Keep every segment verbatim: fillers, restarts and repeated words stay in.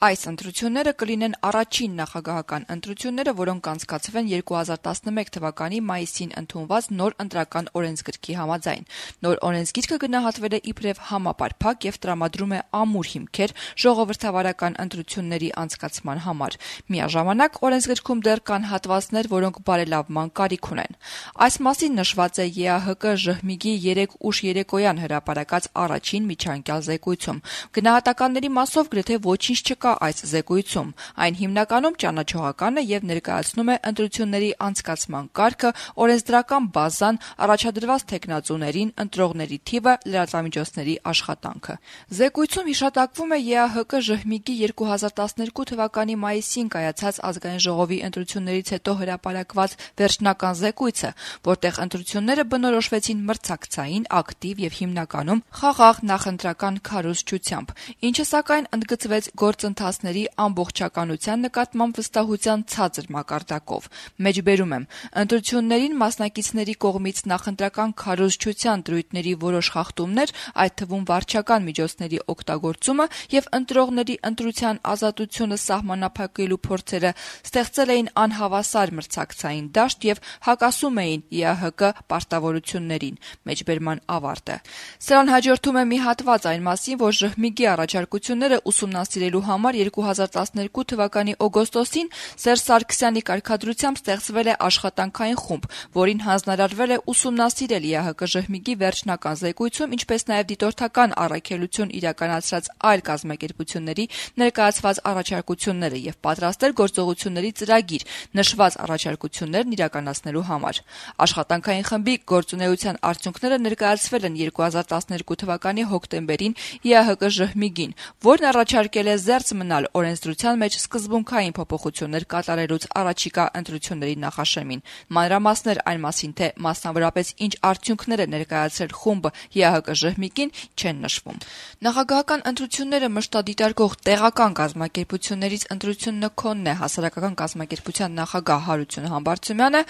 Այս ընտրությունները կլինեն առաջին նախագահական ընտրությունները, որոնք անցկացվեն երկու հազար տասնմեկ թվականի մայիսին ընդունված նոր ընտրական օրենսգրքի համաձայն։ Նոր օրենսգիրքը գնահատվել է իբրև համապարփակ եւ տրամադրում է ամուր հիմքեր ժողովրդավարական ընտրությունների անցկացման համար։ Միաժամանակ օրենսգրքում դեռ կան հատվածներ, որոնք բարելավման կարիք ունեն։ Այս մասին նշված է ԵԱՀԿ-ԺՀՄԻԳ-ի երեկ ուշ երեկոյան հրապարակած առաջին միջանկյալ զեկույցում։ Գնահատականների մասով գրեթե ոչինչ չկա այս զեկույցում։ Այն հիմնականում ճանաչողական է եւ ներկայացնում է ընտրությունների անցկացման կարգը, օրենսդրական բազան, առաջադրված թեկնածուներին, ընտրողների թիվը, լրատվամիջոցների աշխատանքը։ Զեկույցում հիշատակվում է ԵԱՀԿ-ԺՀՄԻԳ-ի երկու հազար տասներկու թվականի մայիսին կայացած ազգային ժողովի ընտրություններից հետո հրապարակված վերջնական զեկույցը, որտեղ ընտրությունները բնորոշվեցին մրցակցային, ակտիվ եւ հիմնականում խաղաղ նախընտրական քարոզչությամբ, ինչը սակայն ընդգծվեց գործընթացների ամբողջականության նկատմամբ վստահության ցածր մակարդակով։ Մեջբերում եմ, ընտրություններին մասնակիցների կողմից նախընտրական քարոզչության դրույթների որոշ խախտումներ, այդ թվում վարչական միջոցների օգտագործումը եւ ընտրողների ընտրության ազատությունը սահմանափակելու փորձերը ստեղծել էին անհավասար մրցակցային դաշտ եւ հակասում էին ԵԱՀԿ պարտավորություններին։ Մեջբերման ավարտը։ Սրան հաջորդում է մի հատված այն մասին, որ ԺՀՄԻԳ-ի առաջարկությունները ուսումնասիրելու համար երկու հազար տասներկու թվականի օգոստոսին Սերժ Սարգսյանի կարգադրությամբ ստեղծվել է աշխատանքային խումբ, որին հանձնարարվել է ուսումնասիրել ԵԱՀԿ-ԺՀՄԻԳ-ի վերջնական զեկույցում, ինչպես նաև դիտորդական առաքելություն իրականացրած այլ կազմակերպությունների ներկայացված առաջարկությունները եւ պատրաստել գործողությունների ծրագիր նշված առաջարկություններն իրականացնելու համար։ Աշխատանքային խմբի գործունեության արդյունքները ներկայացվել են երկու հազար տասներկու թվականի հոկտեմբերին ԵԱՀԿ-ԺՀՄԻԳ-ին, որն առաջարկել է զերծ մնալ օրենսդրության մեջ սկզբունքային փոփոխություններ կատարելուց առաջիկա ընտրությունների նախաշեմին։ Մանրամասներ այն մասին, թե մասնավորապես ինչ արդյունքներ է ներկայացրել խումբը ԵԱՀԿ-ԺՀՄԻԳ-ին, չեն նշվում։ Նախագահական ընտրությունները մշտադիտարկող տեղական կազմակերպություններից ընտրությունը քոնն է հասարակական կազմակերպության նախագահ Հարություն Համբարձումյանը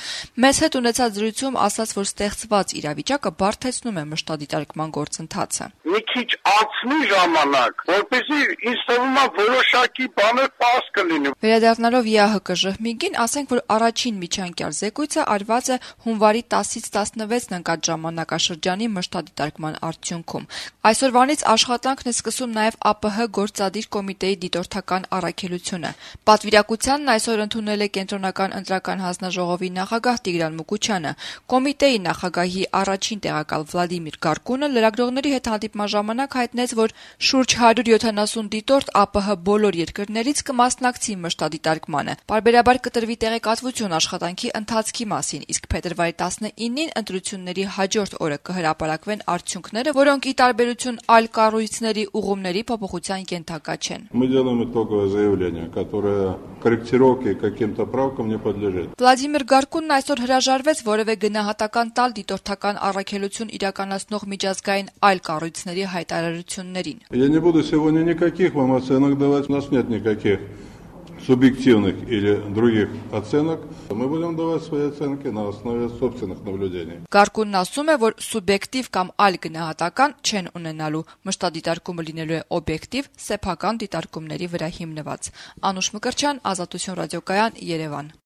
մեզ հետ ունեցած զրույցում ասաց, որ ստեղծված իրավիճակը բարդեցնում է մշտադիտարկման գործընթացը։ Մի քիչ անցնի ժամանակ, որպեսզի ինձ թվում է որոշակի բաներ պարզ կլինի։ Վերադառնալով ԵԱՀԿ-ԺՀՄԻԳ-ին, ասենք, որ առաջին միջանկյալ զեկույցը արված է հունվարի տասից տասնվեցն ընկած ժամանակաշրջանի մշտադիտարկման արդյունքում։ Այսօրվանից աշխատանքն է սկսում նաև ԱՊՀ գործադիր կոմիտեի դիտորդական առաքելությունը։ Պատվիրակությանն այսօր ընդունել է Կենտրոնական ընտրական հանձնաժողովի նախագահ Տիգրան Մուկուչյանը։ Կոմիտեի նախագահի առաջին տեղակալ Վլադիմիր Գարկունը լրագրողների հետ հանդիպման ժամանակ հայտնեց, որ շուրջ հարյուր յոթանասուն դիտորդ ԱՊՀ բոլոր երկրներից կմասնակցի մշտադիտարկմանը։ Պարբերաբար կտրվի տեղեկատվություն աշխատանքի ընթացքի մասին, իսկ փետրվարի տասնինին ընտրությունների հաջորդ օրը կհրապարակվեն արդյունքները, որոնք ի տարբերություն այլ կառույցների ուղումների փոփոխության ենթակա չեն։ Мы делаем итоговое заявление, которое корректировке каким-то правкам не подлежит. Վլադիմիր Գարկունն այսօր հրաժարվեց որևէ գնահատական տալ դիտորդական առաքելություն իրականացնող միջազգային այլ կառույցների հայտարարություններին։ Я не буду сегодня никаких вам оценок давать, у нас нет никаких субъективных или других оценок. Мы будем давать свои оценки на основе собственных наблюдений. Գարկունն ասում է, որ սուբյեկտիվ կամ այլ գնահատական չեն ունենալու, մշտադիտարկումը լինելու է օբյեկտիվ, սեփական դիտարկումների վրա հիմնված։ Անուշ Մկրտչյան, Ազատություն ռադիոկայան, Երևան։